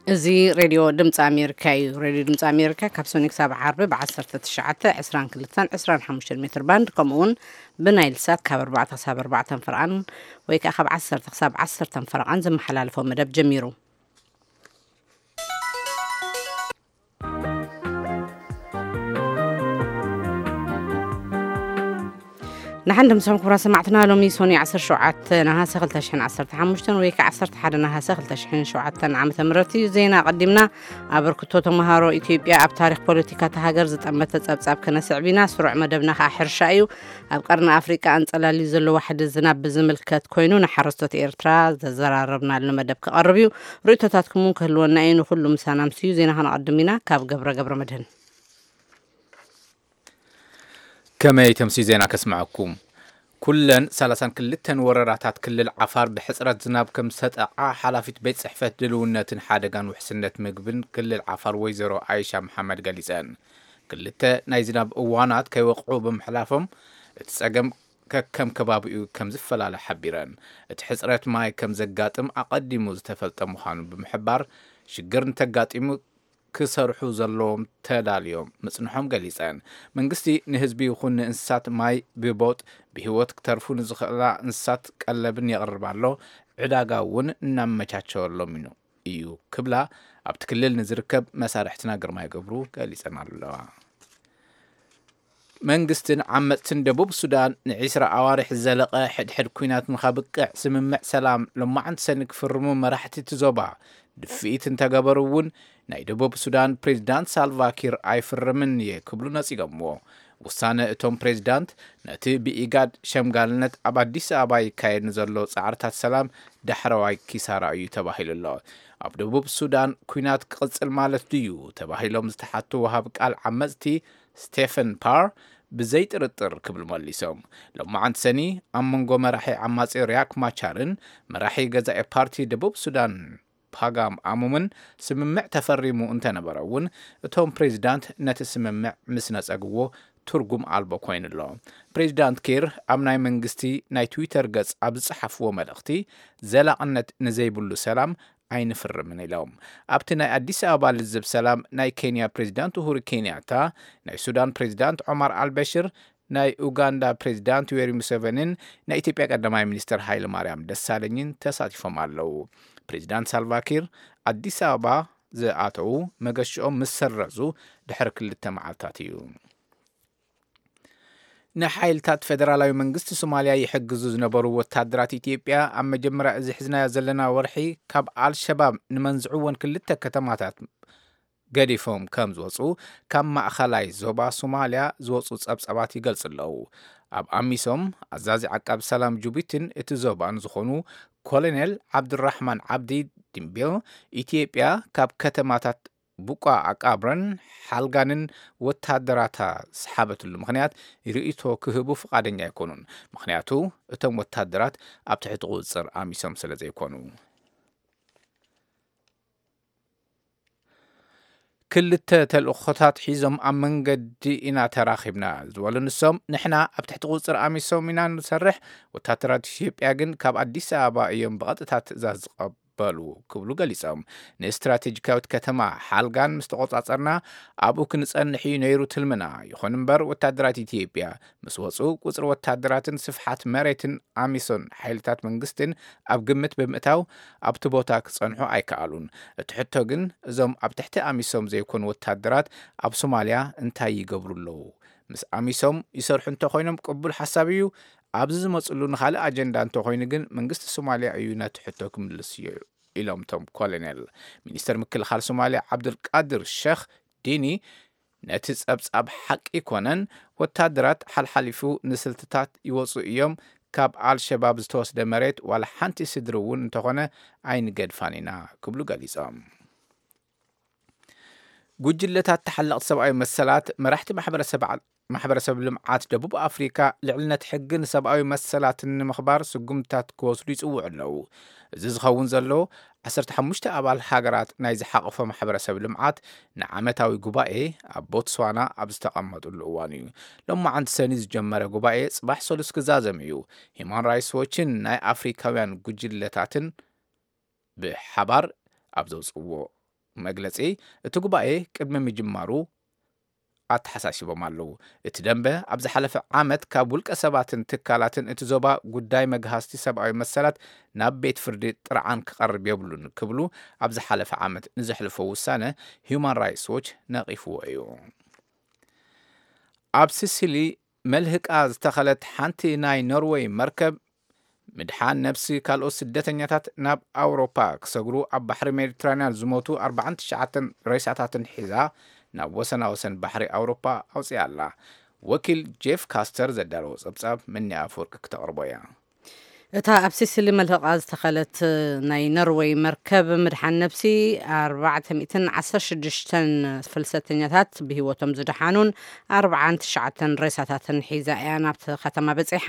እዚ ሬድዮ ድምፂ ኣሜሪካ እዩ። ሬድዮ ድምፂ ኣሜሪካ ካብ ሰኒ ክሳብ ዓርቢ ብ19፣ 22፣ 25 ሜትር ባንድ፣ ከምኡ እውን ብናይል ሳት ካብ ኣርባዕተ ክሳብ ኣርባዕተ ፈረቓን ወይ ከዓ ካብ ዓሰርተ ክሳብ ዓሰርተ ፈረቓን ዝመሓላለፎ መደብ ጀሚሩ። ንሓን ድምፅኹም ክቡራት ሰማዕትና፣ ሎሚ ሶኒ ዓሰርተ ሸውዓተ ነሃሰ ክልተ ሽሕን ዓሰርተ ሓሙሽተን ወይ ከዓ ዓሰርተ ሓደ ነሃሰ ክልተ ሽሕን ሸውዓተን ዓመተ ምህረት እዩ። ዜና ኣቐዲምና። ኣበርክቶ ተምሃሮ ኢትዮጵያ ኣብ ታሪኽ ፖለቲካ እታ ሃገር ዝጠመተ ጸብጻብ ከነስዕብ ኢና። ስሩዕ መደብና ከዓ ሕርሻ እዩ። ኣብ ቀርኒ ኣፍሪቃ ኣንጸላልዩ ዘሎ ዋሕዲ ዝናብ ብዝምልከት ኮይኑ ንሓረስቶት ኤርትራ ዘዘራረብናሉ መደብ ክቐርብ እዩ። ርእይቶታትኩም እውን ክህልወና እዩ። ንኹሉ ምሳና ምስ እዩ። ዜና ከነቐድም ኢና። ካብ ገብረ ገብረ መድህን። ከመይ ተምሲ ዜና ከስምዐኩም። ኩለን ሰላሳን ክልተን ወረዳታት ክልል ዓፋር ብሕጽረት ዝናብ ከም ዝተጠቕዓ ሓላፊት ቤት ጽሕፈት ድልውነትን ሓደጋን ውሕስነት ምግብን ክልል ዓፋር ወይዘሮ ኣይሻ መሓመድ ገሊጸን። ክልተ ናይ ዝናብ እዋናት ከይወቕዑ ብምሕላፎም እቲ ጸገም ከከም ከባቢኡ ከም ዝፈላለ ሓቢረን። እቲ ሕጽረት ማይ ከም ዘጋጥም ኣቐዲሙ ዝተፈልጠ ምዃኑ ብምሕባር ሽግር እንተጋጢሙ ክሰርሑ ዘለዎም ተዳልዮም ምጽንሖም ገሊጸን። መንግስቲ ንህዝቢ ይኹን ንእንስሳት ማይ ብቦጥ ብህይወት ክተርፉ ንዝኽእላ እንስሳት ቀለብን የቕርብ ኣሎ፣ ዕዳጋ እውን እናመቻቸወሎም እዩ ክብላ ኣብቲ ክልል ንዝርከብ መሳርሕትና ግርማይ ገብሩ ገሊጸን ኣለዋ። መንግስትን ዓመፅትን ደቡብ ሱዳን ንዒስራ ኣዋርሕ ዝዘለቐ ሕድሕድ ኲናት ንኸብቅዕ ስምምዕ ሰላም ሎማዕንቲ ሰኒ ክፍርሙ መራሕቲ እቲ ዞባ ድፍኢት እንተገበሩ እውን ናይ ደቡብ ሱዳን ፕሬዚዳንት ሳልቫኪር ኣይፍርምን እየ ክብሉ ነፂጎምዎ። ውሳነ እቶም ፕሬዚዳንት ነቲ ብኢጋድ ሸምጋልነት ኣብ ኣዲስ ኣበባ ይካየድ ንዘሎ ፃዕርታት ሰላም ዳሕረዋይ ኪሳራ እዩ ተባሂሉ ኣሎ። ኣብ ደቡብ ሱዳን ኲናት ክቕፅል ማለት ድዩ ተባሂሎም ዝተሓቱ ወሃብ ቃል ዓመፅቲ ስቴፈን ፓር ብዘይጥርጥር ክብሉ መሊሶም። ሎማዓንቲ ሰኒ ኣብ መንጎ መራሒ ዓማፂ ሪያክ ማቻርን መራሒ ገዛኢ ፓርቲ ደቡብ ሱዳን ፓጋም ኣሙምን ስምምዕ ተፈሪሙ እንተነበረ እውን እቶም ፕሬዚዳንት ነቲ ስምምዕ ምስ ነጸግዎ ትርጉም ኣልቦ ኮይኑ ኣሎ። ፕሬዚዳንት ኪር ኣብ ናይ መንግስቲ ናይ ትዊተር ገጽ ኣብ ዝጸሓፍዎ መልእኽቲ ዘላቕነት ንዘይብሉ ሰላም ኣይንፍርምን ኢሎም። ኣብቲ ናይ ኣዲስ ኣበባ ልዝብ ሰላም ናይ ኬንያ ፕሬዚዳንት ኡሁሩ ኬንያታ፣ ናይ ሱዳን ፕሬዚዳንት ዖማር ኣልበሽር፣ ናይ ኡጋንዳ ፕሬዚዳንት ዩዌሪ ሙሴቨኒን ናይ ኢትዮጵያ ቀዳማይ ሚኒስትር ሃይለ ማርያም ደሳለኝን ተሳቲፎም ኣለዉ። ፕሬዚዳንት ሳልቫኪር ኣዲስ ኣበባ ዝኣተዉ መገሽኦም ምስ ሰረዙ ድሕሪ ክልተ መዓልታት እዩ። ንሓይልታት ፌደራላዊ መንግስቲ ሶማልያ ይሕግዙ ዝነበሩ ወታደራት ኢትዮጵያ ኣብ መጀመርያ እዚ ሒዝናዮ ዘለና ወርሒ ካብ ኣልሸባብ ንመንዝዕወን ክልተ ከተማታት ገዲፎም ከም ዝወፁ ካብ ማእኸላይ ዞባ ሶማልያ ዝወፁ ፀብፀባት ይገልፁ ኣለዉ። ኣብ ኣሚሶም ኣዛዚ ዓቃብ ሰላም ጁቢትን እቲ ዞባን ዝኾኑ ኮሎኔል ዓብዱራሕማን ዓብዲ ድምቢል ኢትዮጵያ ካብ ከተማታት ቡቋ ኣቃብረን ሓልጋንን ወታደራታ ዝሓበትሉ ምኽንያት ርእይቶ ክህቡ ፍቓደኛ ኣይኮኑን። ምኽንያቱ እቶም ወታደራት ኣብ ትሕቲ ቁፅፅር ኣሚሶም ስለ ዘይኮኑ። ክልተ ተልእኾታት ሒዞም ኣብ መንገዲ ኢና ተራኺብና ዝበሉ ንሶም፣ ንሕና ኣብ ትሕቲ ቁፅፅር ኣሚሶም ኢና ንሰርሕ፣ ወታደራት ኢትዮጵያ ግን ካብ ኣዲስ ኣበባ እዮም ብቐጥታ ትእዛዝ ዝቐበሉ ክብሉ ገሊጾም። ንስትራቴጂካዊት ከተማ ሓልጋን ምስ ተቆጻጸርና ኣብኡ ክንጸንሕ እዩ ነይሩ ትልምና። ይኹን እምበር ወታደራት ኢትዮጵያ ምስ ወጹ ቁጽሪ ወታደራትን ስፍሓት መሬትን ኣሚሶን ሓይልታት መንግስትን ኣብ ግምት ብምእታው ኣብቲ ቦታ ክጸንሑ ኣይከኣሉን። እቲ ሕቶ ግን እዞም ኣብ ትሕቲ ኣሚሶም ዘይኮኑ ወታደራት ኣብ ሶማልያ እንታይ ይገብሩ ኣለዉ? ምስ ኣሚሶም ይሰርሑ እንተኾይኖም ቅቡል ሓሳብ እዩ። ኣብዚ ዝመጽሉ ንኻልእ ኣጀንዳ እንተኾይኑ ግን መንግስቲ ሶማልያ እዩ ነቲ ሕቶ ክምልስ እዩ ኢሎም እቶም ኮሎኔል። ሚኒስተር ምክልኻል ሶማልያ ዓብዱልቃድር ሸኽ ዲኒ ነቲ ጸብጻብ ሓቂ ኮነን ወታደራት ሓልሓሊፉ ንስልትታት ይወጹ እዮም፣ ካብ ኣልሸባብ ዝተወስደ መሬት ዋላ ሓንቲ ስድሪ እውን እንተኾነ ኣይንገድፋን ኢና ክብሉ ገሊጾም። ጉጅለታት ተሓለቕቲ ሰብኣዊ መሰላት መራሕቲ ማሕበረሰብ ዓ- ማሕበረሰብ ልምዓት ደቡብ ኣፍሪካ ልዕልነት ሕግን ሰብኣዊ መሰላትን ንምኽባር ስጉምትታት ክወስዱ ይጽውዑ ኣለዉ። እዚ ዝኸውን ዘሎ ዓሰርተ ሓሙሽተ ኣባል ሃገራት ናይ ዝሓቐፎ ማሕበረሰብ ልምዓት ንዓመታዊ ጉባኤ ኣብ ቦትስዋና ኣብ ዝተቐመጡሉ እዋን እዩ። ሎማዓንቲ ሰኒ ዝጀመረ ጉባኤ ጽባሕ ሰሉስ ክዛዘም እዩ። ሂማን ራይትስ ዎችን ናይ ኣፍሪካውያን ጉጅለታትን ብሓባር ኣብ ዘውፅዎ መግለጺ፣ እቲ ጉባኤ ቅድሚ ምጅማሩ ኣተሓሳሲቦም ኣለዉ። እቲ ደንበ ኣብ ዝሓለፈ ዓመት ካብ ውልቀ ሰባትን ትካላትን እቲ ዞባ ጉዳይ መግሃስቲ ሰብኣዊ መሰላት ናብ ቤት ፍርዲ ጥርዓን ክቐርብ የብሉን ክብሉ ኣብ ዝሓለፈ ዓመት ንዘሕልፎ ውሳነ ሂዩማን ራይትስ ዎች ነቒፍዎ እዩ። ኣብ ሲሲሊ መልህቃ ዝተኸለት ሓንቲ ናይ ኖርወይ መርከብ፣ ምድሓን ነብሲ ካልኦት ስደተኛታት ናብ ኣውሮፓ ክሰግሩ ኣብ ባሕሪ ሜዲትራንያን ዝሞቱ ኣርባዓን ትሽዓተን ሬሳታትን ሒዛ ናብ ወሰናወሰን ባሕሪ ኣውሮፓ ኣውፅያ ኣላ። ወኪል ጄፍ ካስተር ዘዳለዎ ጸብጻብ መኒ ኣፈወርቂ ክተቕርቦ እያ። እታ ኣብ ሲሲሊ መልህቓ ዝተኸለት ናይ ኖርወይ መርከብ ምድሓን ነብሲ ኣርባዕተ ሚእትን ዓሰርተ ሽዱሽተን ፍልሰተኛታት ብህይወቶም ዝደሓኑን ኣርባዓን ትሽዓተን ሬሳታትን ሒዛ እያ ናብቲ ከተማ በጺሓ።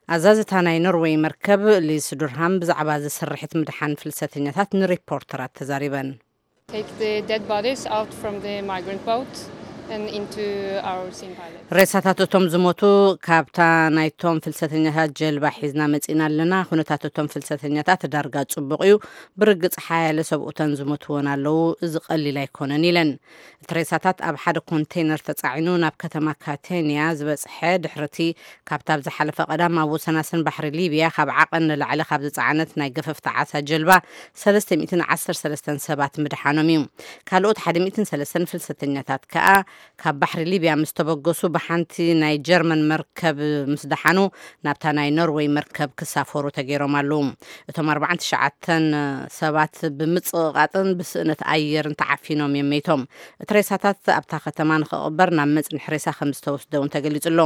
ኣዛዝታ ናይ ኖርወይ መርከብ ሊስ ዱርሃም ብዛዕባ እዚ ስርሒት ምድሓን ፍልሰተኛታት ንሪፖርተራት ተዛሪበን። Take the dead bodies out from the migrant boat and into our sea pilot. ሬሳታት እቶም ዝሞቱ ካብታ ናይቶም ፍልሰተኛታት ጀልባ ሒዝና መጺና ኣለና። ኩነታት እቶም ፍልሰተኛታት ዳርጋ ጽቡቕ እዩ። ብርግጽ ሓያለ ሰብኡተን ዝሞትወን ኣለዉ። እዚ ቀሊል ኣይኮነን ኢለን። እቲ ሬሳታት ኣብ ሓደ ኮንቴይነር ተጻዒኑ ናብ ከተማ ካቴንያ ዝበጽሐ ድሕርቲ ካብታ ኣብ ዝሓለፈ ቀዳም ኣብ ወሰናስን ባሕሪ ሊብያ ካብ ዓቐን ንላዕሊ ካብ ዝጸዓነት ናይ ገፈፍቲ ዓሳ ጀልባ ሰለስተ ሚእትን ዓሰርተ ሰለስተን ሰባት ምድሓኖም እዩ። ካልኦት ሓደ ሚእትን ሰለስተን ፍልሰተኛታት ከኣ ካብ ባሕሪ ሊብያ ምስ ተበገሱ ብሓንቲ ናይ ጀርመን መርከብ ምስ ደሓኑ ናብታ ናይ ኖርወይ መርከብ ክሳፈሩ ተገይሮም ኣለዉ። እቶም ኣርባዓን ትሽዓተን ሰባት ብምጽቕቓጥን ብስእነት ኣየርን ተዓፊኖም እዮም መይቶም። እቲ ሬሳታት ኣብታ ከተማ ንኽቕበር ናብ መጽንሒ ሬሳ ከም ዝተወስደ እውን ተገሊጹ ኣሎ።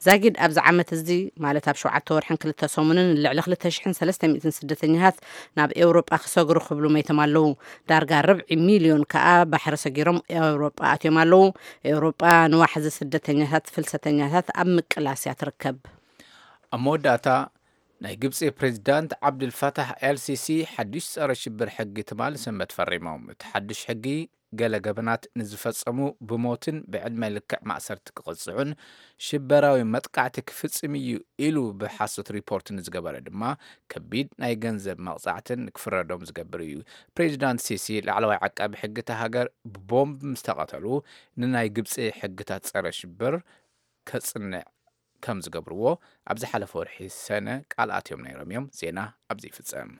ዛጊድ ኣብዚ ዓመት እዚ ማለት ኣብ ሸውዓተ ወርሕን ክልተ ሰሙንን ልዕሊ ክልተ ሽሕን ሰለስተ ሚእትን ስደተኛታት ናብ ኤውሮጳ ክሰግሩ ክብሉ መይቶም ኣለዉ። ዳርጋ ርብዒ ሚልዮን ከኣ ባሕሪ ሰጊሮም ኤውሮጳ ኣትዮም ኣለዉ። ኤውሮጳ ንዋሕዚ ስደተኛታት ፍልሰተኛታት ኣብ ምቅላስ እያ ትርከብ። ኣብ መወዳእታ፣ ናይ ግብፂ ፕሬዚዳንት ዓብዱልፋታሕ ኤልሲሲ ሓዱሽ ፀረ ሽብር ሕጊ ትማሊ ሰንበት ፈሪሞም። እቲ ሓዱሽ ሕጊ ገለ ገበናት ንዝፈፀሙ ብሞትን ብዕድመ ልክዕ ማእሰርቲ ክቕፅዑን ሽበራዊ መጥቃዕቲ ክፍፅም እዩ ኢሉ ብሓሶት ሪፖርት ንዝገበረ ድማ ከቢድ ናይ ገንዘብ መቕፃዕትን ክፍረዶም ዝገብር እዩ። ፕሬዚዳንት ሲሲ ላዕለዋይ ዓቃቢ ሕጊ እታ ሃገር ብቦምብ ምስ ተቐተሉ ንናይ ግብፂ ሕግታት ፀረ ሽብር ከፅንዕ ከም ዝገብርዎ ኣብ ዝሓለፈ ወርሒ ሰነ ቃል ኣትዮም ነይሮም እዮም። ዜና ኣብዚ ይፍጸም።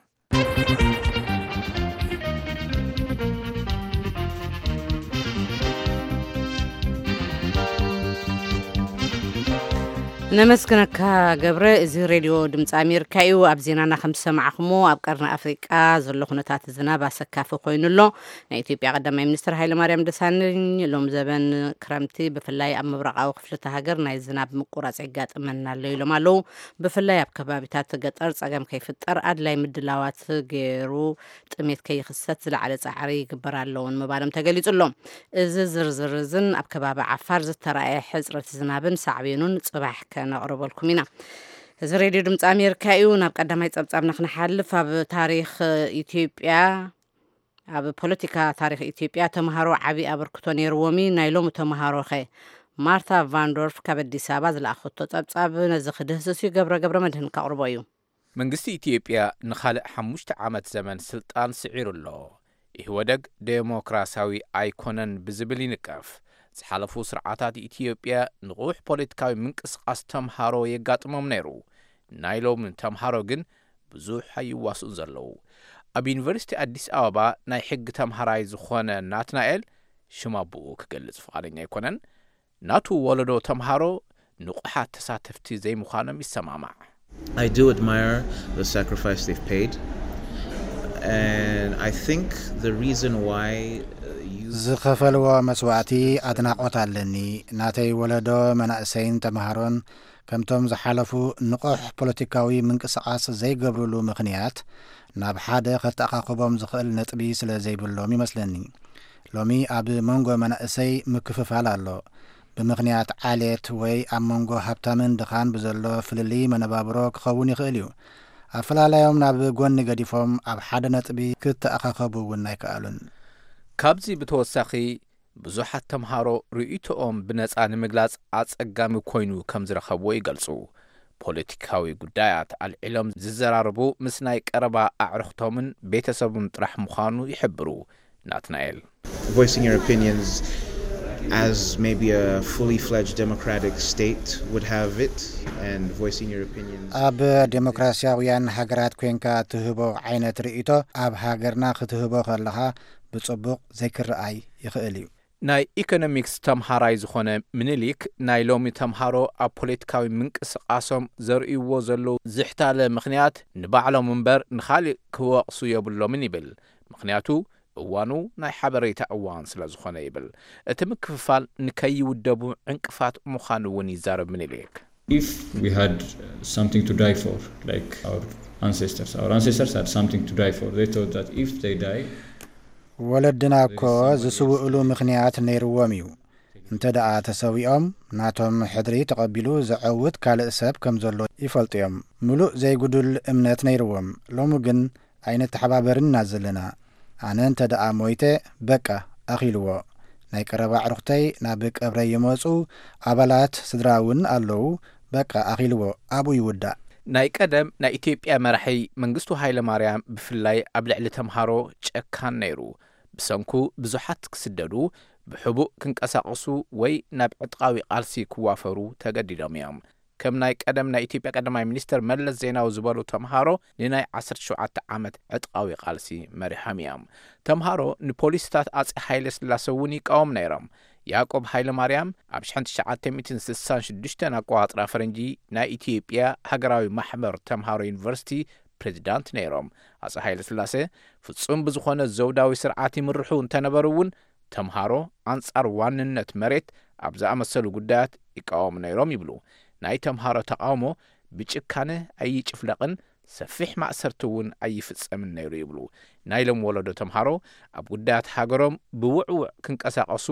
ነመስግነካ ገብረ። እዚ ሬድዮ ድምፂ ኣሜሪካ እዩ። ኣብ ዜናና ከም ዝሰማዕኹሞ ኣብ ቀርኒ ኣፍሪቃ ዘሎ ኩነታት ዝናብ ኣሰካፊ ኮይኑ ኣሎ። ናይ ኢትዮጵያ ቀዳማይ ሚኒስትር ሃይለማርያም ደሳለኝ ሎም ዘበን ክረምቲ ብፍላይ ኣብ ምብራቓዊ ክፍልቲ ሃገር ናይ ዝናብ ምቁራፅ የጋጥመና ኣሎ ኢሎም ኣለዉ። ብፍላይ ኣብ ከባቢታት ገጠር ፀገም ከይፍጠር ኣድላይ ምድላዋት ገይሩ ጥሜት ከይኽሰት ዝለዓለ ፃዕሪ ይግበር ኣለውን ምባሎም ተገሊፁ ኣሎ። እዚ ዝርዝር እዝን ኣብ ከባቢ ዓፋር ዝተረኣየ ሕፅረት ዝናብን ሳዕቤኑን ፅባሕ ከነቕርበልኩም ኢና። እዚ ሬድዮ ድምፂ ኣሜሪካ እዩ። ናብ ቀዳማይ ፀብፃብና ክንሓልፍ ኣብ ታሪክ ኢትዮጵያ ኣብ ፖለቲካ ታሪክ ኢትዮጵያ ተምሃሮ ዓብዪ ኣበርክቶ ነይርዎም እዩ። ናይ ሎሚ ተምሃሮ ኸ? ማርታ ቫንዶርፍ ካብ ኣዲስ ኣበባ ዝለኣኸቶ ጸብጻብ ነዚ ክድህስስ እዩ። ገብረ ገብረ መድህን ከቕርቦ እዩ። መንግስቲ ኢትዮጵያ ንኻልእ ሓሙሽተ ዓመት ዘመን ስልጣን ስዒሩ ኣሎ። ኢህወደግ ዴሞክራሲያዊ ኣይኮነን ብዝብል ይንቀፍ። ዝሓለፉ ስርዓታት ኢትዮጵያ ንቑሕ ፖለቲካዊ ምንቅስቓስ ተምሃሮ የጋጥሞም ነይሩ። ናይ ሎሚ ተምሃሮ ግን ብዙሕ ኣይዋስኡን ዘለዉ። ኣብ ዩኒቨርሲቲ ኣዲስ ኣበባ ናይ ሕጊ ተምሃራይ ዝኾነ ናትናኤል ሽም ኣቦኡ ክገልጽ ፍቓደኛ ኣይኮነን። ናቱ ወለዶ ተምሃሮ ንቑሓት ተሳተፍቲ ዘይምዃኖም ይሰማማዕ። I do admire the sacrifice they've paid, and I think the reason why uh, you ዝኸፈልዎ መስዋእቲ ኣድናቖት ኣለኒ። ናተይ ወለዶ መናእሰይን ተምሃሮን ከምቶም ዝሓለፉ ንቑሕ ፖለቲካዊ ምንቅስቓስ ዘይገብርሉ ምኽንያት ናብ ሓደ ከተኣኻኽቦም ዝኽእል ነጥቢ ስለ ዘይብሎም ይመስለኒ። ሎሚ ኣብ መንጎ መናእሰይ ምክፍፋል ኣሎ። ብምኽንያት ዓሌት ወይ ኣብ መንጎ ሃብታምን ድኻን ብዘሎ ፍልልይ መነባብሮ ክኸውን ይኽእል እዩ። ኣፈላላዮም ናብ ጎኒ ገዲፎም ኣብ ሓደ ነጥቢ ክተኣኻኸቡ እውን ኣይከኣሉን። ካብዚ ብተወሳኺ ብዙሓት ተምሃሮ ርእይቶኦም ብነጻ ንምግላጽ ኣጸጋሚ ኮይኑ ከም ዝረኸብዎ ይገልጹ። ፖለቲካዊ ጉዳያት ኣልዒሎም ዝዘራረቡ ምስ ናይ ቀረባ ኣዕሩኽቶምን ቤተሰቡን ጥራሕ ምዃኑ ይሕብሩ። ናትናኤል። Voicing your opinions as maybe a fully fledged democratic state would have it, and voicing your opinions. ኣብ ዴሞክራሲያውያን ሃገራት ኮንካ ትህቦ ዓይነት ርእይቶ ኣብ ሃገርና ክትህቦ ከለኻ ብጽቡቕ ዘይክረኣይ ይኽእል እዩ። ናይ ኢኮኖሚክስ ተምሃራይ ዝኾነ ምኒልክ፣ ናይ ሎሚ ተምሃሮ ኣብ ፖለቲካዊ ምንቅስቓሶም ዘርእይዎ ዘለዉ ዝሕታለ ምኽንያት ንባዕሎም እምበር ንኻሊእ ክወቕሱ የብሎምን ይብል። ምኽንያቱ እዋኑ ናይ ሓበሬታ እዋን ስለ ዝኾነ ይብል። እቲ ምክፍፋል ንከይውደቡ ዕንቅፋት ምዃኑ እውን ይዛረብ ምኒልክ። If we had something to die for, like our ancestors, our ancestors had something to die for. They thought that if they die, ወለድና እኮ ዝስውእሉ ምኽንያት ነይርዎም እዩ። እንተ ደኣ ተሰዊኦም ናቶም ሕድሪ ተቐቢሉ ዘዐውት ካልእ ሰብ ከም ዘሎ ይፈልጡ እዮም። ምሉእ ዘይጉዱል እምነት ነይርዎም። ሎሚ ግን ኣይንተሓባበርን ኢና ዘለና። ኣነ እንተ ደኣ ሞይተ በቃ ኣኺልዎ። ናይ ቀረባ ኣዕሩኽተይ ናብ ቀብረይ ይመጹ፣ ኣባላት ስድራ እውን ኣለዉ። በቃ ኣኺልዎ ኣብኡ ይውዳእ። ናይ ቀደም ናይ ኢትዮጵያ መራሒ መንግስቱ ሃይለ ማርያም ብፍላይ ኣብ ልዕሊ ተምሃሮ ጨካን ነይሩ። ብሰንኩ ብዙሓት ክስደዱ፣ ብሕቡእ ክንቀሳቐሱ ወይ ናብ ዕጥቃዊ ቃልሲ ክዋፈሩ ተገዲዶም እዮም። ከም ናይ ቀደም ናይ ኢትዮጵያ ቀዳማይ ሚኒስትር መለስ ዜናዊ ዝበሉ ተምሃሮ ንናይ ዓሰርተ ሸውዓተ ዓመት ዕጥቃዊ ቃልሲ መሪሖም እዮም። ተምሃሮ ንፖሊስታት ኣጼ ሃይለ ስላሰ እውን ይቃወሙ ነይሮም። ያዕቆብ ሃይለ ማርያም ኣብ ሽሕን ትሽዓተ ሚእትን ስሳን ሽዱሽተን ኣቆጻጽራ ፈረንጂ ናይ ኢትዮጵያ ሃገራዊ ማሕበር ተምሃሮ ዩኒቨርሲቲ ፕሬዚዳንት ነይሮም። ኣጼ ሃይለ ስላሰ ፍጹም ብዝኾነ ዘውዳዊ ስርዓት ይምርሑ እንተነበሩ እውን ተምሃሮ ኣንጻር ዋንነት መሬት ኣብ ዝኣመሰሉ ጉዳያት ይቃወሙ ነይሮም ይብሉ። ናይ ተምሃሮ ተቃውሞ ብጭካነ ኣይጭፍለቕን፣ ሰፊሕ ማእሰርቲ እውን ኣይፍጸምን ነይሩ ይብሉ። ናይ ሎም ወለዶ ተምሃሮ ኣብ ጉዳያት ሃገሮም ብውዕውዕ ክንቀሳቐሱ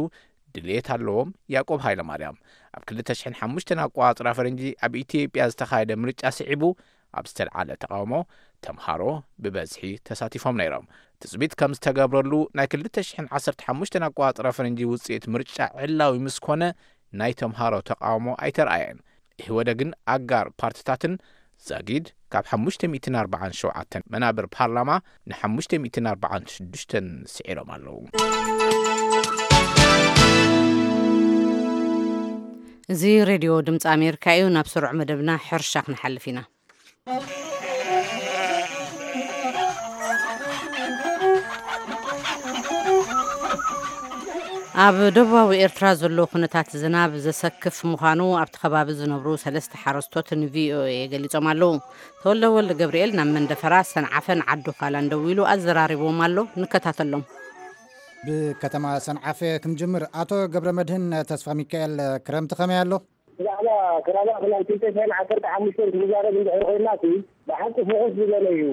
ድልየት ኣለዎም። ያዕቆብ ሃይለማርያም ኣብ ክልተ ሽሕን ሓሙሽተን ኣቆጻጽራ ፈረንጂ ኣብ ኢትዮጵያ ዝተኻየደ ምርጫ ስዒቡ ኣብ ዝተልዓለ ተቃውሞ ተምሃሮ ብበዝሒ ተሳቲፎም ነይሮም። ትጽቢት ከም ዝተገብረሉ ናይ ክልተ ሽሕን ዓሰርተ ሓሙሽተን ኣቆጻጽራ ፈረንጂ ውጽኢት ምርጫ ዕላዊ ምስ ኮነ ናይ ተምሃሮ ተቃውሞ ኣይተርኣየን። ኢህወደግን ኣጋር ፓርትታትን ዛጊድ ካብ ሓሙሽተ ሚእትን ኣርባዓን ሸውዓተን መናብር ፓርላማ ን ሓሙሽተ ሚእትን ኣርባዓን ሽዱሽተን ስዒሮም ኣለዉ። እዚ ሬድዮ ድምፂ ኣሜሪካ እዩ። ናብ ስሩዕ መደብና ሕርሻ ክንሓልፍ ኢና። ኣብ ደቡባዊ ኤርትራ ዘሎ ኩነታት ዝናብ ዘሰክፍ ምዃኑ ኣብቲ ከባቢ ዝነብሩ ሰለስተ ሓረስቶት ንቪኦኤ ገሊጾም ኣለዉ። ተወልደ ወልደ ገብርኤል ናብ መንደፈራ ሰንዓፈን ዓዲ ዃላን ደዊሉ ኣዘራሪብዎም ኣሎ። ንከታተሎም። ብከተማ ሰንዓፈ ክንጅምር። ኣቶ ገብረ መድህን ተስፋ ሚካኤል፣ ክረምቲ ከመይ ኣሎ? ብዛዕባ ክራማት ናይ ክልተ ሽሕን ዓሰርተ ሓሙሽተን ክንዛረብ እንድሕር ኮይንና፣ ብሓቂ ፍኹስ ዝበለ እዩ።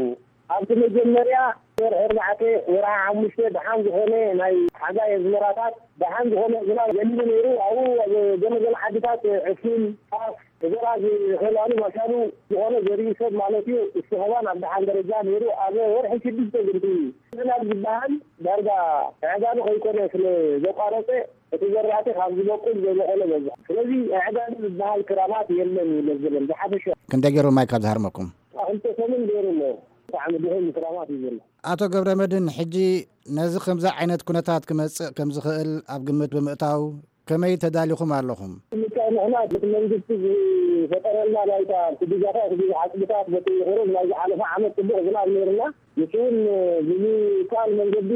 ኣብቲ መጀመርያ ወርሒ ኣርባዕተ፣ ወርሒ ሓሙሽተ ደሓን ዝኾነ ናይ ሓጋይ ኣዝመራታት፣ ደሓን ዝኾነ ዝናብ ዘንቢ ነይሩ። ኣብኡ ኣብ ገለ ገለ ዓድታት ዕፉን፣ ጣፍ፣ ዘራ ዝኸላሉ መሻሉ ዝኾነ ዘሪኡ ሰብ ማለት እዩ፣ እስትኽባን ኣብ ደሓን ደረጃ ነይሩ። ኣብ ወርሒ ሽዱሽተ ግን እቲ ዝናብ ዝበሃል ዳርጋ ዕጋቢ ከይኮነ ስለ ዘቋረጸ፣ እቲ ዘራእቲ ካብ ዝበቁል ዘይበቆለ በዝሑ። ስለዚ ኣዕጋቢ ዝበሃል ክራማት የለን እዩ ለዘለን ብሓፈሻ። ክንደይ ገይሩ ማይ ካብ ዝሃርመኩም? ክልተ ሰሙን ገይሩ ኣሎ። ብጣዕሚ ድኹም ክራማት እዩ ዘሎ። ኣቶ ገብረ መድህን፣ ሕጂ ነዚ ከምዚ ዓይነት ኩነታት ክመጽእ ከም ዝኽእል ኣብ ግምት ብምእታው ከመይ ተዳሊኹም ኣለኹም? ምልካይ ንሕና በቲ መንግስቲ ዝፈጠረልና ናይታ ክዲጋታት፣ እዚ ዓጽብታት በቲ ቁሩብ ናይ ዝሓለፈ ዓመት ጽቡቕ ዝናብ ነይርና። ንሱ እውን ብምካል መንገዲ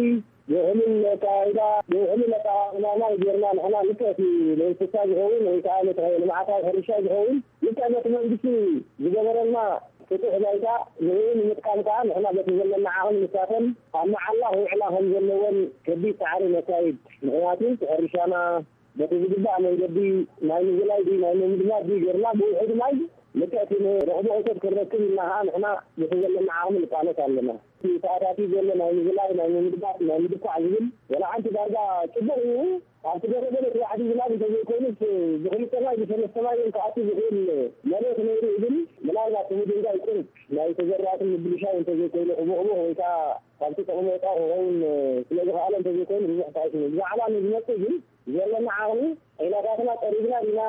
ብውሕሉል ኣካይዳ፣ ብውሕሉል ኣጠቓቕማ ማይ ጌርና ንሕና ልክዕ እቲ ንእንስሳ ዝኸውን ወይ ከዓ ነቲ ልምዓታዊ ሕርሻ ዝኸውን ልክዕ ነቲ መንግስቲ ዝገበረልና ፍቱሕ ባይታ ንዕኡ ንምጥቃም ከዓ ንሕና በቲ ዘለና ዓቕሚ ንሳተን ኣብ መዓላ ክውዕላ ከም ዘለወን ከቢድ ፃዕሪ ነካይድ። ምኽንያቱ እቲ ሕርሻና በቲ ዝግባእ መንገዲ ናይ ምዝላይ ድዩ ናይ ምምድማድ ድዩ ጌርና ብውሑድ ማይ ልክዕ እቲ ንረኽቦ እቶት ክንረክብ ኢልና ከዓ ንሕና በቲ ዘለና ዓቕሚ ንቃለስ ኣለና። እቲ ተኣታትዩ ዘሎ ናይ ምዝላይ፣ ናይ ምምድማድ፣ ናይ ምድኳዕ ዝብል ወላ ሓንቲ ዳርጋ ጽቡቕ እዩ። ኣብቲ ገለ ገለ እቲ ዋሕዲ ዝናብ እንተዘይኮይኑስ ብክልተ ማይ ብሰለስተ ማይ እውን ክኣቱ ዝኽእል መሬት ነይሩ እዩ። ግን ምናልባት እቲ ምድንጋይ ቁሩብ ናይ ተዘራእቲ ምብልሻው እንተዘይኮይኑ፣ ሕቡእ ሕቡእ ወይ ከዓ ካብቲ ጥቕሚ ወፃኢ ክኸውን ስለ ዝኸኣለ እንተዘይኮይኑ ብዙሕ ተኣይሽኑ። ብዛዕባ ንዝመፅእ ግን ዘለና ዓቕሚ ዒላታትና ፀሪግና ዲና፣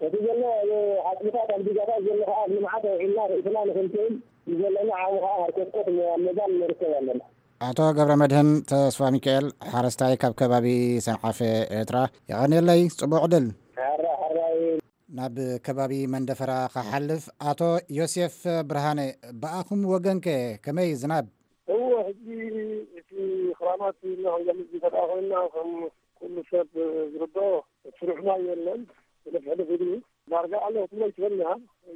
እቲ ዘሎ ኣብ ዓፅምታት ኣብ ዲጋታት ዘሎ ከዓ ኣብ ልምዓት ኣውዒልና ርእስና ንኽንክእል ዘለና ዓቕሚ ከዓ ሃርከስከስ ኣብ ምባል ንርከብ ኣለና። ኣቶ ገብረ መድህን ተስፋ ሚካኤል፣ ሓረስታይ ካብ ከባቢ ሰንዓፈ ኤርትራ፣ የቐንየለይ። ጽቡቕ ዕድል። ሓራ ሓራይ። ናብ ከባቢ መንደፈራ ክሓልፍ፣ ኣቶ ዮሴፍ ብርሃነ፣ ብኣኹም ወገንከ ከመይ ዝናብ? እወ፣ ሕጂ እቲ ክራማት ኢልና ክንገልጽ እንተደኣ ኮይንና፣ ከም ኩሉ ሰብ ዝርድኦ፣ ስሩዕ ማይ የለን። ሕልፍ ሕልፍ ኢሉ ዳርጋ ኣሎ ክትብሎ ኣይትኽእልን ኢኻ።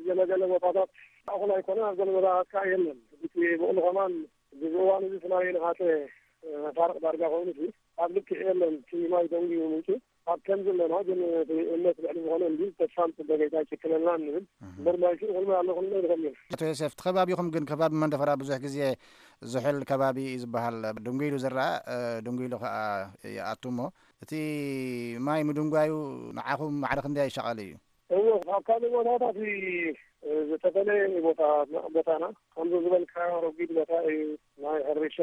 ገለ ገለ ቦታታት ማእከል ኣይኮነን፣ ኣብ ገለ ቦታታት ከኣ የለን። እቲ ብቕሉ ከማን፣ እዚ እዋን እዚ እቲ ማይ ነሓሰ መፋርቕ ዳርጋ ኮይኑ፣ እቲ ኣብ ልክዕ የለን። እቲ ማይ ደንጉዩ ምንጩ ኣብ ከም ዘለና፣ ግን እቲ እምነት ልዕሊ ዝኾነ እንዲ ተስፋ ንጽበ፣ ጌታ ይትክለልና እንብል። እምበር ማይ ሽኡ ኩሉ ኣሎ፣ ኩሉ ይኸም እዩ። ኣቶ ዮሴፍ፣ እቲ ከባቢኹም ግን፣ ከባቢ መንደፈራ ብዙሕ ግዜ ዝሑል ከባቢ እዩ ዝበሃል። ድንጉ ኢሉ ዝረኣ፣ እ፣ ድንጉ ኢሉ ከኣ ይኣቱ እሞ፣ እቲ ማይ ምድንጓዩ ንዓኹም ማዕረ ክንደይ ይሻቐል እዩ? እወ፣ ካብ ካልእ ቦታታት እ፣ ዝተፈለየ እዩ ቦታ፣ ቦታና። ከምዚ ዝበልካዮ ረጒድ ቦታ እዩ። ናይ ሕርሻ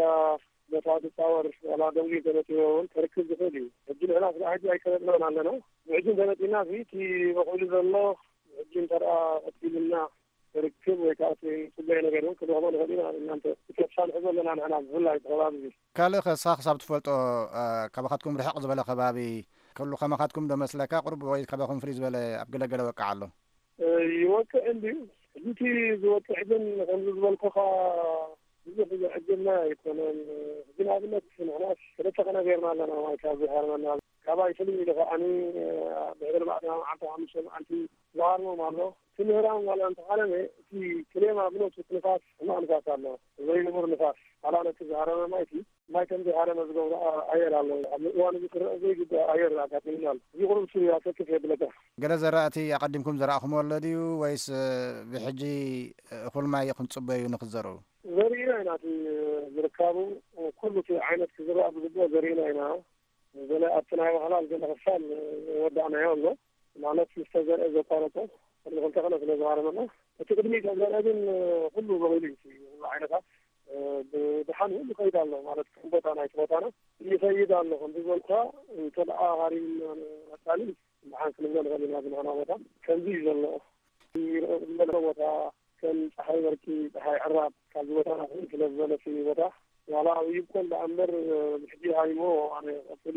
ቦታ ዝፃወር ዋላ ደንጉ ተነፂዎ እውን ክርክብ ዝኽእል እዩ። ሕጂ ንሕና ስለ ሕጂ ኣይተነፅናን ኣለና። ብሕጂ እንተነፂና፣ እዚ እቲ በቑሉ ዘሎ ሕጂ እንተ ደኣ ቀፂሉና ክርክብ ወይ ከዓ እቲ ፅበዮ ነገር እውን ክንረኽቦ ንኽእል ኢና። እናንተ እቲ ተስፋ ንሕዞ ኣለና ንሕና ብፍላይ እቲ ከባቢ እዚ። ካልእ ከሳ ክሳብ ትፈልጦ፣ እ፣ ካባኻትኩም ርሕቕ ዝበለ ከባቢ ክህሉ ከማኻትኩም ዶ መስለካ? ቁሩብ ወይ ካባኹም ፍልይ ዝበለ ኣብ ገለገለ ወቃዕ ኣሎ? እ፣ ይወቅዕ እንድዩ። ሕጂ እቲ ዝወቅዕ ግን ከምዚ ዝበልኩኻ ብዙሕ ዘዕግብና ኣይኮነን። ሕጂ ንኣብነት ንሕና ሰለስተ ቀነ ጌርና ኣለና ማይ ካብ ዝሃርመና። ካባይ ፍልይ ኢሉ ከዓኒ፣ እ፣ ድሕሪ ኣርባዕተ መዓልቲ፣ ሓሙሽተ መዓልቲ ዝሃርሞም ኣሎ። እቲ ምህራም ዋላ እንተሓረመ፣ እቲ ክሌማ ብነብሱ እቲ ንፋስ ሕማቕ ንፋስ ኣሎ። ዘይንቡር ንፋስ። ዋላ ነቲ ዝሃረመ ማይ እቲ ማይ ከም ዘይሃረመ ዝገብሮ ኣ-፣ ኣየር ኣሎ። ኣብ እዋን እዚ ክረአ ዘይግባእ ኣየር ኣጋጢሙና ኣሎ። እዚ ቁሩብ ሱ ኣሰክፍ የብለካ። ገለ ዘራእቲ ኣቐዲምኩም ዘራእኹምዎ ኣሎ ድዩ? ወይስ፣ እ፣ ብሕጂ፣ እ፣ እኹል ማይ ኢኹም ትጽበዩ ንኽትዘርኡ? ዘሪእና ኢና። እቲ ዝርካቡ ኩሉ እቲ ዓይነት ክዝራእ ዝግብኦ ዘሪእና ኢና። ገለ ኣብቲ ናይ ባህላል ገለ ክፋል ወዳእናዮ ኣሎ። ማለት ምስ ተዘርአ ዘቋረጾ ቅድሚ ክልተ ቀነ ስለ ዝሃረመና፣ እቲ ቅድሚ ተዘርአ ግን ኩሉ በቒሉ እዩ። ኩሉ ዓይነታት ብድሓን ሁሉ ይኸይድ ኣሎ። ማለት ከም ቦታ ናይቲ ቦታና ይኸይድ ኣሎ። ከምቲ ዝበልኩኻ እንተ ደኣ ሃሪምና ንቐጻሊ ብሓን ክንብሎ ንኽእል ኢና። ዝንኾና ቦታ ከምዚ እዩ ዘሎ። ይረአ ዘሎ ቦታ ከም ጸሓይ በርቂ፣ ጸሓይ ዕራብ ካብዚ ቦታና ፍልይ ስለ ዝበለ እቲ ቦታ ዋላ ይብቆል ደኣ እምበር ብሕጂ ሃሪሞ ኣነ ቀጽሊ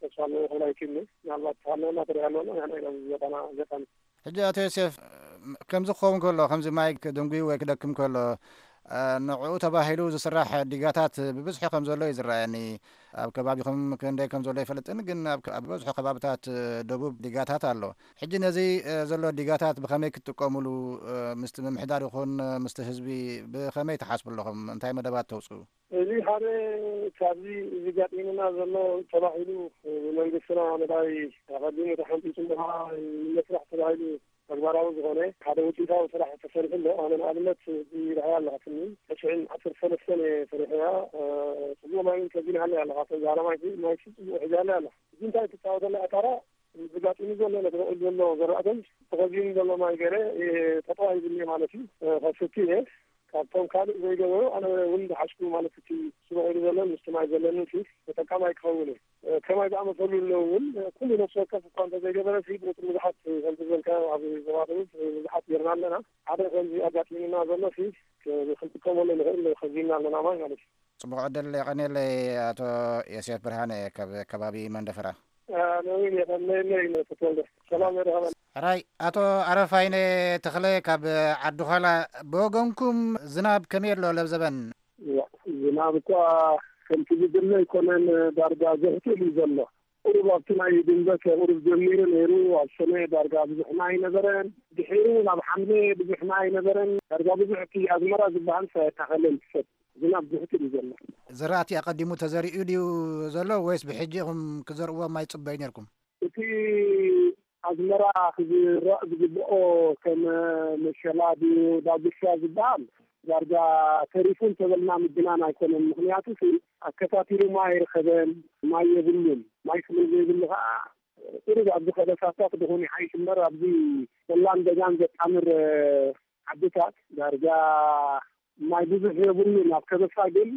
ተስፋ ኣለዎ ክብል ኣይክእልን። ምናልባት ተሃለወና ተሪሃለወና ንሕና ኢና ዝዘጠና ዘጠና። ሕጂ ኣቶ ዮሴፍ፣ ከምዚ ክኸውን ከሎ፣ ከምዚ ማይ ክድንጉዩ ወይ ክደክም ከሎ፣ እ፣ ንዕኡ ተባሂሉ ዝስራሕ ዲጋታት ብብዝሒ ከም ዘሎ እዩ ዝረኣየኒ። ኣብ ከባቢኹም ክንደይ ከም ዘሎ ኣይፈልጥን፣ ግን ኣብ ከ-፣ ኣብ ዝበዝሑ ከባብታት፣ እ፣ ደቡብ ዲጋታት ኣሎ። ሕጂ ነዚ፣ እ፣ ዘሎ ዲጋታት ብኸመይ ክትጥቀሙሉ፣ እ፣ ምስቲ ምምሕዳር ይኹን፣ እ፣ ምስቲ ህዝቢ ብኸመይ ትሓስቡ ኣለኹም? እንታይ መደባት ተውጽኡ? እዚ ሓደ ካብዚ እዚ ጋጢሙና ዘሎ ተባሂሉ ብመንግስትና መዳይ ኣቐዲሙ ተሓንጢጡ እምበኣር ንመስራሕ ተባሂሉ ተግባራዊ ዝኾነ ሓደ ውፅኢታዊ ስራሕ ተሰሪሑ ኣሎ። ኣነ ንኣብነት እዚ ርኣያ ኣለኻትኒ ተሽዕን ዓሰርተ ሰለስተን እየ ሰሪሐያ። እ፣ ፅቡቕ ማይ እውን ከዚንሃለይ ኣለኻ። ተዛረማይ ማይ ፅቡቕ ሒዛለይ ኣላ። እዚ እንታይ ትፃወተላ ኣታራ ዝጋጢሙ ዘሎ ነቲ በቑል ዘሎ ዘራእተን ተኸዚኑ ዘሎ ማይ ገይረ፣ እ፣ ተጠዋሂቡኒ ማለት እዩ። እ፣ ከስቲ እየ። ካብቶም ካልእ ዘይገበሩ ኣነ እውን ዝሓሽኩ ማለት እቲ ስሩዕ ኢሉ ዘለን ምስቲ ማይ ዘለንን ሲ ተጠቃማይ ክኸውን እየ። እ፣ ከማይ ዝኣመሰሉ ኣለዉ እውን ኩሉ ነፍሲ ወከፍ እኳ እንተዘይገበረ ሲ ብቁፅሪ ብዙሓት ከምቲ ዝበልካዮ ኣብ ዞባ ደቡብ ብዙሓት ጌርና ኣለና። ሓደ ከምዚ ኣጋጢሙና ዘሎ ሲ ክ-፣ ክንጥቀመሉ ንኽእል ከዚንና ኣለና ማይ ማለት እዩ። ጽቡቕ ዕድል የቐንየለይ ኣቶ ዮሴፍ ብርሃነ ካብ ከባቢ መንደፈራ። ኣነ እውን የቐንየለይ ተወልደ። ሰላም የድሃበና። ሕራይ ኣቶ ኣረፋይነ ተኽለ ካብ ዓዲ ዃላ፣ ብወገንኩም ዝናብ ከመይ ኣሎ ለብዘበን? ዝናብ እኳ ከምቲ ዝድለ ኣይኮነን፣ ዳርጋ ዘህትል እዩ ዘሎ። ቁሩብ ኣብቲ ናይ ድንበት ቁሩብ ጀሚሩ ነይሩ፣ ኣብ ሰነ ዳርጋ ብዙሕ ማይ ኣይነበረን። ድሒሩ ናብ ሓምለ ብዙሕ ማይ ኣይነበረን። ዳርጋ ብዙሕ እቲ ኣዝመራ ዝበሃል ኣይተኸለን። ሰብ ዝናብ ዝህትል እዩ ዘሎ። ዝራእቲ ኣቐዲሙ ተዘሪኡ ድዩ ዘሎ ወይስ ብሕጂ ኢኹም ክዘርእዎ ማይ ትጽበዩ ነይርኩም? እቲ ኣዝመራ ክዝራእ ዝግብኦ ከም መሸላ ድዩ ዳጉሻ ዝበሃል ዳርጋ ተሪፉ እንተበልና ምግናን ኣይኮነን። ምኽንያቱ ሲ ኣከታቲሉ ማይ ኣይረኸበን፣ ማይ የብሉን። ማይ ስለ ዘይብሉ ከዓ ቁሩብ ኣብዚ ከበሳታት ደኾን ይሓይሽ እምበር ኣብዚ ቆላን ደጋን ዘጣምር ዓድታት ዳርጋ ማይ ብዙሕ የብሉን። ኣብ ከበሳ ግን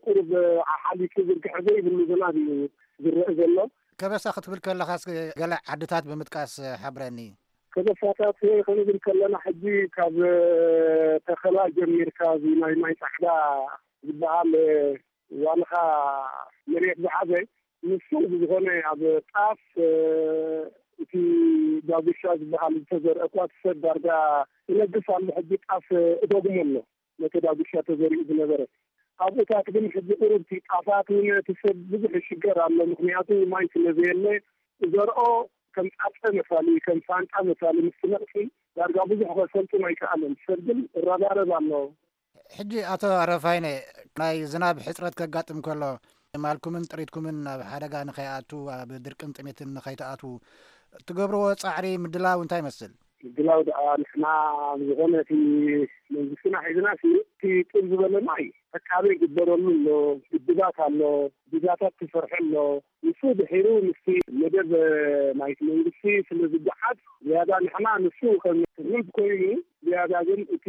ቁሩብ ሓሓሊፉ ዝርግሐ ዘይብሉ ዝናብ እዩ ዝረአ ዘሎ። ከበሳ ክትብል ከለኻስ ገለ ዓድታት ብምጥቃስ ሓብረኒ። ከበሳታት ክንብል ከለና ሕጂ ካብ ተኸላ ጀሚርካ እዚ ናይ ማይ ጻዕዳ ዝበሃል ዋልኻ መሬት ዝሓዘ ንሱ ብዝኾነ ኣብ ጣፍ እቲ ዳጉሻ ዝበሃል ዝተዘርአ እኳ እቲ ሰብ ዳርጋ ይነግስ ኣሎ። ሕጂ ጣፍ እደግሞ ኣሎ ነቲ ዳጉሻ ተዘሪኡ ዝነበረ ኣብኡታት ግን ሕጂ ቁሩብቲ ጣፋት እውን እቲ ሰብ ብዙሕ ይሽገር ኣሎ። ምክንያቱ ማይ ስለ ዘየለ ዘርኦ ከም ጻጸ መሳሊ ከም ሳንጣ መሳሊ ምስ ነቕፊ ዳርጋ ብዙሕ ከሰልጥን ኣይከኣለን። ሰብ ግን እረባረብ ኣሎ። ሕጂ ኣቶ ኣረፋይነ ናይ ዝናብ ሕፅረት ከጋጥም ከሎ ማልኩምን ጥሪትኩምን ናብ ሓደጋ ንኸይኣቱ ኣብ ድርቅን ጥሜትን ንኸይትኣትዉ ትገብርዎ ፃዕሪ ምድላው እንታይ ይመስል? ምድላው ደኣ ንሕና ዝኾነ እቲ መንግስትና ሒዝና ሲ እቲ ጥብ ዝበለ ማይ ተካበ ይግበረሉ ኣሎ። ግድባት ኣሎ፣ ግድባታት ተሰርሐ ኣሎ። ንሱ ድሒሩ ምስቲ መደብ ናይቲ መንግስቲ ስለ ዝጓዓዝ ዝያዳ ንሕና ንሱ ከም ትምህርት ኮይኑ ዝያዳ ግን እቲ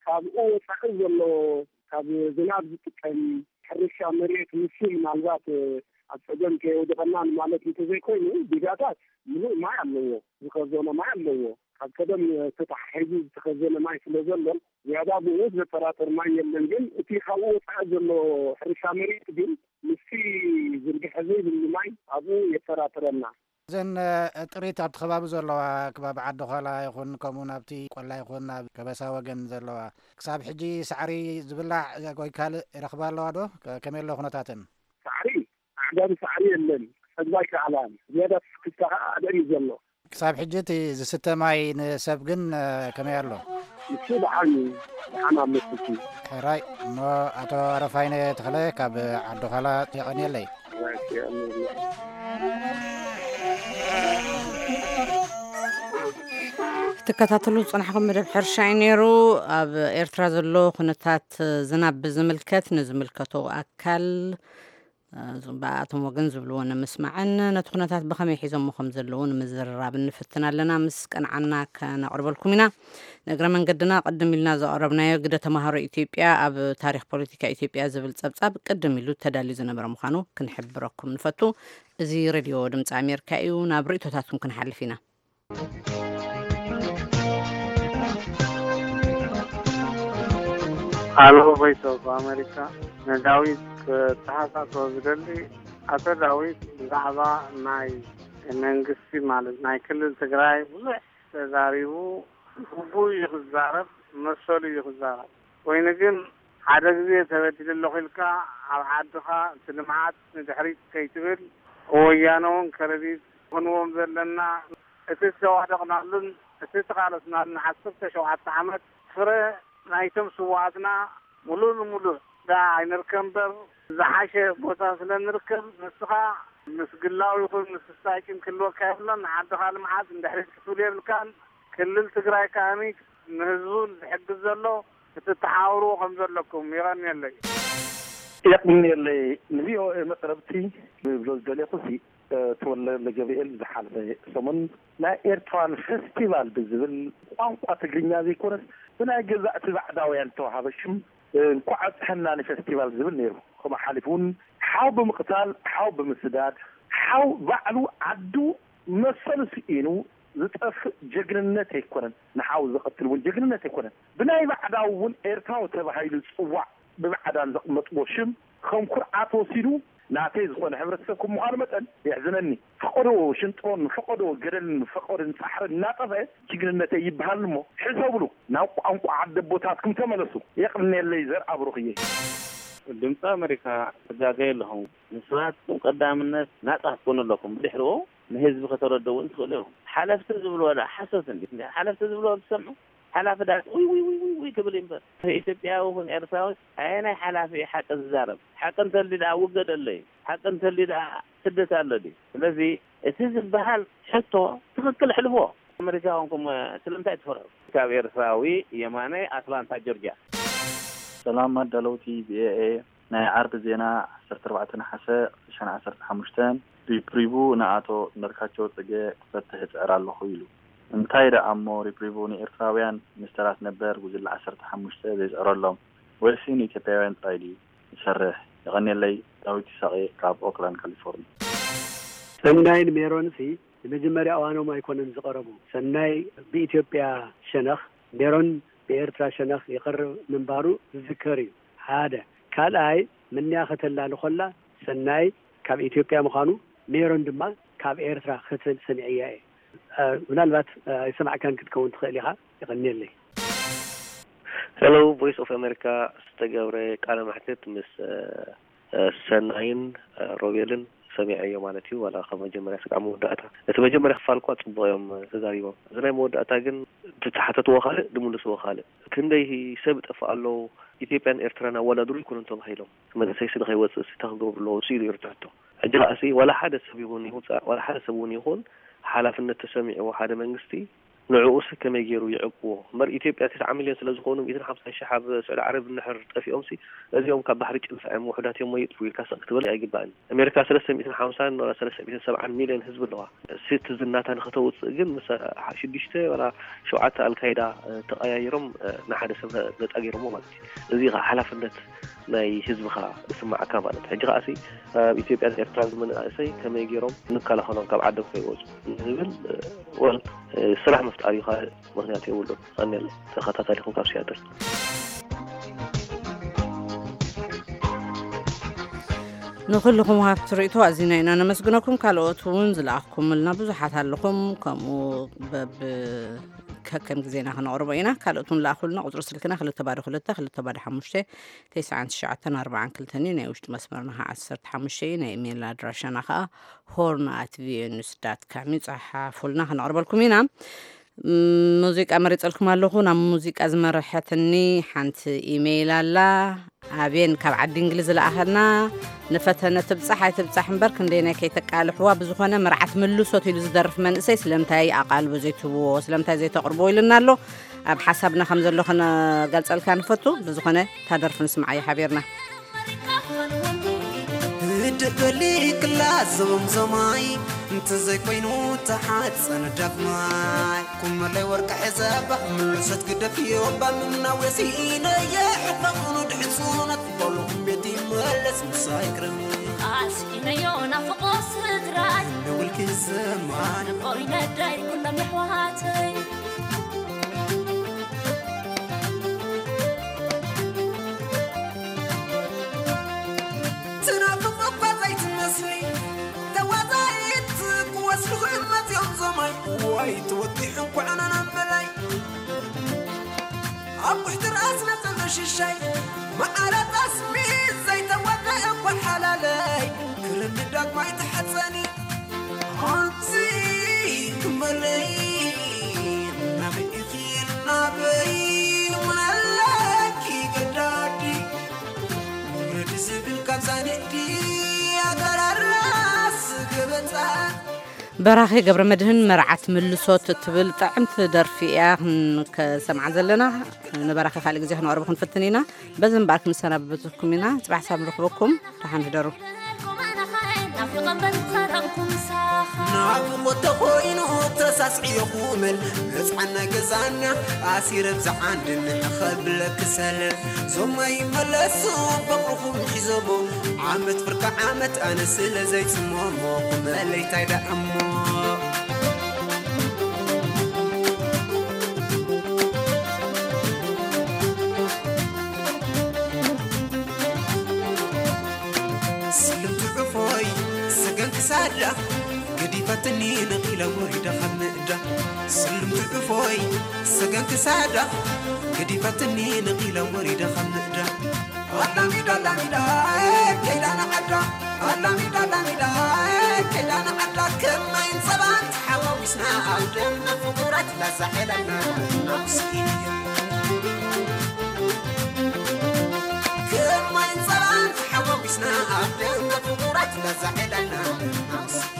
ካብኡ ወፃኢ ዘሎ ካብ ዝናብ ዝጥቀም ሕርሻ መሬት ንሱ ምናልባት ኣብ ፀገም ከየውድቐና ማለት እንተዘይኮይኑ ዲጋታት ምሉእ ማይ ኣለዎ፣ ዝኸዘኖ ማይ ኣለዎ። ካብ ቀደም ተተሓሒዙ ዝተኸዘነ ማይ ስለ ዘሎ ዝያዳ ብኡ ዘጠራጥር ማይ የለን። ግን እቲ ካብኡ ወፃኢ ዘሎ ሕርሻ መሬት ግን ምስቲ ዝርግሐ ዘይብሉ ማይ ኣብኡ የጠራጥረና። እዘን ጥሪት ኣብቲ ከባቢ ዘለዋ ከባቢ ዓዲ ኳላ ይኹን ከምኡ ናብቲ ቆላ ይኹን ናብ ከበሳ ወገን ዘለዋ ክሳብ ሕጂ ሳዕሪ ዝብላዕ ወይ ካልእ ይረኽባ ኣለዋ ዶ? ከመይ ኣሎ ኩነታተን? ሳዕሪ ኣዕጋቢ ሳዕሪ የለን። ክሰግባ ኣይከኣላን። ዝያዳ ስክፍታ ከዓ ኣደን እዩ ዘሎ። ክሳብ ሕጂ እቲ ዝስተ ማይ ንሰብ ግን ከመይ ኣሎ? ንሱ ደሓን እዩ። ደሓን ኣሎ ስቲ። ሕራይ እሞ ኣቶ ኣረፋይነ ተኽለ ካብ ዓዲ ኳላ የቐንየለይ። ትከታተሉ ዝጸናሕኩም መደብ ሕርሻ እዩ ነይሩ። ኣብ ኤርትራ ዘሎ ኩነታት ዝናብ ብዝምልከት ንዝምልከቶ ኣካል ብኣቶም ወገን ዝብልዎ ንምስማዕን ነቲ ኩነታት ብኸመይ ሒዞሞ ከም ዘለዉ ንምዝርራብ ንፍትን ኣለና። ምስ ቀንዓና ከነቕርበልኩም ኢና። ንእግረ መንገድና ቅድም ኢልና ዘቐረብናዮ ግደ ተምሃሮ ኢትዮጵያ ኣብ ታሪኽ ፖለቲካ ኢትዮጵያ ዝብል ጸብጻብ ቅድም ኢሉ ተዳልዩ ዝነበረ ምዃኑ ክንሕብረኩም ንፈቱ። እዚ ሬድዮ ድምፂ ኣሜሪካ እዩ። ናብ ርእቶታትኩም ክንሓልፍ ኢና። ኣሎ ቮይስ ኦፍ ኣሜሪካ ንዳዊት ክተሓሳስቦ ዝደሊ ኣቶ ዳዊት ብዛዕባ ናይ መንግስቲ ማለት ናይ ክልል ትግራይ ብዙሕ ተዛሪቡ ግቡእ እዩ ክዛረብ መሰሉ እዩ ክዛረብ ኮይኑ ግን ሓደ ግዜ ተበዲለ ኣለኹ ኢልካ ኣብ ዓድኻ እቲ ልምዓት ንድሕሪት ከይትብል ወያነ እውን ከረዲት ክንዎም ዘለና እቲ ዝተዋደቕናሉን እቲ ዝተቓለስናሉን ዓሰርተ ሸውዓተ ዓመት ፍረ ናይቶም ስውኣትና ሙሉእ ንሙሉእ ደኣ ኣይንርከብ እምበር ዝሓሸ ቦታ ስለ ንርከብ ንስኻ ምስ ግላዊ ይኹን ምስ ስታይኪን ክህልወካ የብሎን ንዓድኻ ልምዓት ንድሕሪት ክትብል የብልካን ክልል ትግራይ ከኣ ንህዝቡ ዝሕግዝ ዘሎ ክትተሓባበርዎ ከም ዘለኩም የቐንየለይ። የቕንየለይ ንቪኦኤ መቅረብቲ ክብሎ ዝደለኹ ሲ ተወልደ ገብርኤል ዝሓለፈ ሰሙን ናይ ኤርትራውያን ፈስቲቫል ብዝብል ብቋንቋ ትግርኛ ዘይኮነስ ብናይ ገዛእቲ ባዕዳውያን ዝተዋሃበ ሽም እንኳዕ ኣብፀሐና ንፈስቲቫል ዝብል ነይሩ። ከምኡ ሓሊፉ እውን ሓው ብምቕታል፣ ሓው ብምስዳድ፣ ሓው ባዕሉ ዓዱ መሰሉ ስኢኑ ዝጠፍእ ጀግንነት ኣይኮነን። ንሓው ዝቐትል እውን ጀግንነት ኣይኮነን። ብናይ ባዕዳዊ እውን ኤርትራዊ ተባሂሉ ዝፅዋዕ ብባዕዳን ዘቕመጥዎ ሽም ከም ኩርዓት ወሲዱ ናተይ ዝኾነ ሕብረተሰብ ከም ምዃኑ መጠን የሕዝነኒ። ፈቐዶ ሽንጥሮን ፈቐዶ ገደልን ፈቐዶ ጻሕርን እናጠፍአ ጅግንነተይ ይበሃል እሞ ሕሰብሉ። ናብ ቋንቋ ዓደቦታትኩም ተመለሱ። የቕንየለይ ዘርኣብሩኽየ። ድምፂ ኣሜሪካ ትጋገዩ ኣለኹም። ንስኻትኩም ቀዳምነት ናፃ ክትኮኑ ኣለኩም። ብድሕሪኡ ንህዝቢ ከተረድእዎ እውን ትኽእሉ ኢኹም። ሓለፍቲ ዝብልዎ ደኣ ሓሶት እንዲ ሓለፍቲ ዝብልዎ ትሰምዑ ሓላፊ ዳት ውይ ውይ ውይ ውይ ውይ ክብል እዩ እምበር ኢትዮጵያዊ ይኹን ኤርትራዊ ኣየናይ ሓላፊ እዩ ሓቂ ዝዛረብ? ሓቂ እንተልዩ ደኣ ውገድ ኣሎ እዩ። ሓቂ እንተልዩ ደኣ ስደት ኣሎ ድዩ? ስለዚ እቲ ዝበሃል ሕቶ ትኽክል ኣሕልፍዎ። ኣመሪካ ኮንኩም ስለምንታይ ትፈርሑ? ካብ ኤርትራዊ የማነ ኣትላንታ ጆርጅያ። ሰላም ኣዳለውቲ ቪኦኤ ናይ ዓርቢ ዜና ዓሰርተ ኣርባዕተ ነሓሰ ክልተ ሺሕን ዓሰርተ ሓሙሽተን ሪፕሪቡ ንኣቶ እንዳልካቸው ጽገ ክፈትሕ እጽዕር ኣለኹ ኢሉ። እንታይ ደኣ እሞ ሪፕሪቡ ንኤርትራውያን ሚኒስተራት ነበር ጉጅለ ዓሰርተ ሓሙሽተ ዘይጽዕረሎም ወይሲ ንኢትዮጵያውያን ጥራይ ድዩ ዝሰርሕ? የቐንየለይ ዳዊት ይሳቐ ካብ ኦክላንድ ካሊፎርኒያ። ሰናይን ሜሮንሲ ንመጀመርያ እዋኖም ኣይኮነን ዝቐረቡ። ሰናይ ብኢትዮጵያ ሸነኽ ሜሮን ብኤርትራ ሸነኽ ይቐርብ ምንባሩ ዝዝከር እዩ። ሓደ ካልኣይ ምንያ ከተላሊ ኮላ ሰናይ ካብ ኢትዮጵያ ምዃኑ፣ ሜሮን ድማ ካብ ኤርትራ ክትብል ሰሚዐያ እየ። እ፣ ምናልባት፣ እ፣ ኣይሰማዕካን ክትከውን ትኽእል ኢኻ። የቐንየለይ። ሄሎ፣ ቮይስ ኦፍ ኣሜሪካ ዝተገብረ ቃለ መሕትት ምስ፣ እ፣ እ፣ ሰናይን፣ እ፣ ሮቤልን ሰሚዐዮ ማለት እዩ። ዋላ ካብ መጀመርያ ስጋዕ መወዳእታ፣ እቲ መጀመርያ ክፋል እኳ ጽቡቕ እዮም፣ እ፣ ተዛሪቦም። እዚ ናይ መወዳእታ ግን ዝተሓተትዎ ካልእ፣ ዝምልስዎ ካልእ። ክንደይ ሰብ ይጠፍእ ኣሎ፣ ኢትዮጵያን ኤርትራን ኣወዳድሩ ኣይኮኑን ተባሂሎም። መንእሰይ ስለ ከይወጽእ ሲ እንታይ ክገብሩ ኣለዎም ሲ ኢሉ ይርትዕቶ። ሕጂ ከኣ ሲ ዋላ ሓደ ሰብ ይኹን ይውጻእ፣ ዋላ ሓደ ሰብ እውን ይኹን ሓላፍነት ተሰሚዕዎ ሓደ መንግስቲ ንዕኡ ሲ ከመይ ገይሩ ይዕቅዎ? እምበር ኢትዮጵያ ተስዓ ሚልዮን ስለ ዝኾኑ ሚእትን ሓምሳን ሽሕ ኣብ ስዑዲ ዓረብ እንድሕር ጠፊኦም ሲ እዚኦም ካብ ባሕሪ ጭልፋ እዮም ውሑዳት እዮም ወይ ይጥፉ ኢልካ ስቕ ክትብል ኣይግባእን። ኣሜሪካ ሰለስተ ሚእትን ሓምሳን ወላ ሰለስተ ሚእትን ሰብዓን ሚልዮን ህዝቢ ኣለዋ። ሲ እቲ ዝናታ ንኸተውጽእ ግን ምስ ሽዱሽተ ወላ ሸውዓተ ኣልካይዳ፣ እ፣ ተቐያይሮም፣ እ፣ ንሓደ ሰብ ነ-፣ ነጻ ገይሮሞ ማለት እዩ። እዚ ኸኣ ሓላፍነት ናይ ህዝብኻ ዝስማዓካ ማለት እዩ። ሕጂ ኸኣ ሲ ኣብ ኢትዮጵያን ኤርትራን ዝመንእሰይ ከመይ ገይሮም ንከላኸሎም ካብ ዓዶም ከይወጹ ንዝብል፣ እ፣ ወል፣ እ፣ ስራሕ ምፍጣር እዩ፣ ካልእ ምኽንያት የብሉን። ቀንየለይ ተኸታታሊኹም ካብ ሲያትል። ንኹልኹም ሃብቲ ርእይቶ ኣዚና ኢና ነመስግነኩም። ካልኦት እውን ዝለኣኽኩምልና ብዙሓት ኣለኹም። ከምኡ በብ ከከም ግዜና ክነቕርቦ ኢና። ካልኦት እውን ለኣኹልና። ቁፅሪ ስልክና ክልተ ባዶ ክልተ ክልተ ባዶ ሓሙሽተ ተስዓን ትሽዓተን ኣርባዓን ክልተን እዩ። ናይ ውሽጢ መስመርና ከዓ ዓሰርተ ሓሙሽተ እዩ። ናይ ኢሜይል ኣድራሻና ከዓ ሆርን ኣት ቪኦኤ ኒውስ ዳት ካም እዩ። ጸሓፉልና፣ ክነቕርበልኩም ኢና። ም፣ ሙዚቃ መሪጸልኩም ኣለኹ። ናብ ሙዚቃ ዝመርሐትኒ ሓንቲ ኢሜይል ኣላ። ኣቤን ካብ ዓዲ እንግሊዝ ዝለኣኸልና። ንፈተነ ትብጻሕ ኣይትብጻሕ እምበር ክንደየናይ ከይተቃልሕዋ፣ ብዝኾነ መርዓት ምልሶት ኢሉ ዝደርፍ መንእሰይ ስለምንታይ ኣቓልቦ ዘይትህብዎ፣ ስለምንታይ ዘይተቕርብዎ ኢሉና ኣሎ። ኣብ ሓሳብና ከም ዘሎ ክነገልጸልካ ንፈቱ። ብዝኾነ እታ ደርፊ ንስምዓያ ሓቢርና። ህድእ በሊ ክላ ዞምዞማይ፣ እንተዘይኮይኑ ተሓፀነ ዳግማይ። ኩመለይ ወርቂ ሒዘ ባህ ምልሰት ግደፍዮ፣ ባምና ወሲነየ ሕፈቑኑ ድሕፁነት፣ በሉ ቤት ይመለስ ምሳይ ክረም። ኣስኢነዮ ናፍቆ ስድራይ፣ ንውልኪ ዘማን። ንቦይ ነዳይ ኩሎም የሕዋተይ። ትናፍቕ እኳ ዘይትመስሊ ተዋዛይት፣ ክወስድኺ መፅዮም ዞማይ። ዋይ ተወጢሑ እንኳዕ ናናም በላይ። ኣብ ውሕቲ ርኣስ ነፀሎ ሽሻይ፣ መዓረ ጠስሚ ዘይተወደ እኳ ሓላለይ። ክርሚ ዳግማይ ተሓፀኒ ኣንቲ ክመለይ። ናበይ ኢኺ ናበይ ምናለኪ ገዳዲ፣ ውረዲ ዝብል ካብ ዛንዲ ኣገራራስ ገበታ። በራኺ ገብረ መድህን መርዓት ምልሶት እትብል ጥዕምቲ ደርፊ እያ ክንሰምዓ ዘለና። ንበራኺ ካልእ ግዜ ክነቕርቦ ክንፍትን ኢና። በዚ እምበኣር ክንሰናበተኩም ኢና። ጽባሕ ሳብ ንረኽበኩም። ደሓን ሕደሩ። ናፍቆት ተኾይኑ ተሳስዕዮ ኩመል፣ መጽዓና ገዛና ኣሲረ ብዛዓንድን ከብለክ ሰለል። ዞማይ መለሱ ፍቕርኹም ሒዞሞ፣ ዓመት ፍርቂ ዓመት ኣነ ስለ ዘይጽመሞ፣ ኩመለይ ታይ ደኣ እሞ። ስልምቲ ዕፎይ ሰገን ክሳዳ ገዲፋትኒ ነቒለ ወሪደ ካብ ምእዳ። ስልምቲ ዕፎይ ሰገን ክሳዳ ገዲፋትኒ ነቒለ ወሪደ ካብ ምእዳ። ኣላሚዳ ኣላሚዳ ከይዳ ንዓዳ። ኣላሚዳ ኣላሚዳ ከይዳ ንዓዳ። ከማይን ጸባን ተሓዋዊስና ኣብ ደምና ፍቑራት ላዛዕለልና ናውስኢንዮ። ከማይን ጸባን ተሓዋዊስና ኣብ ደምና ፍቑራት ላዛዕለልና ናውስኢንዮ።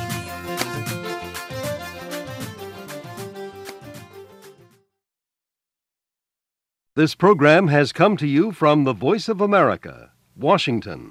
This program has come to you from the Voice of America, Washington.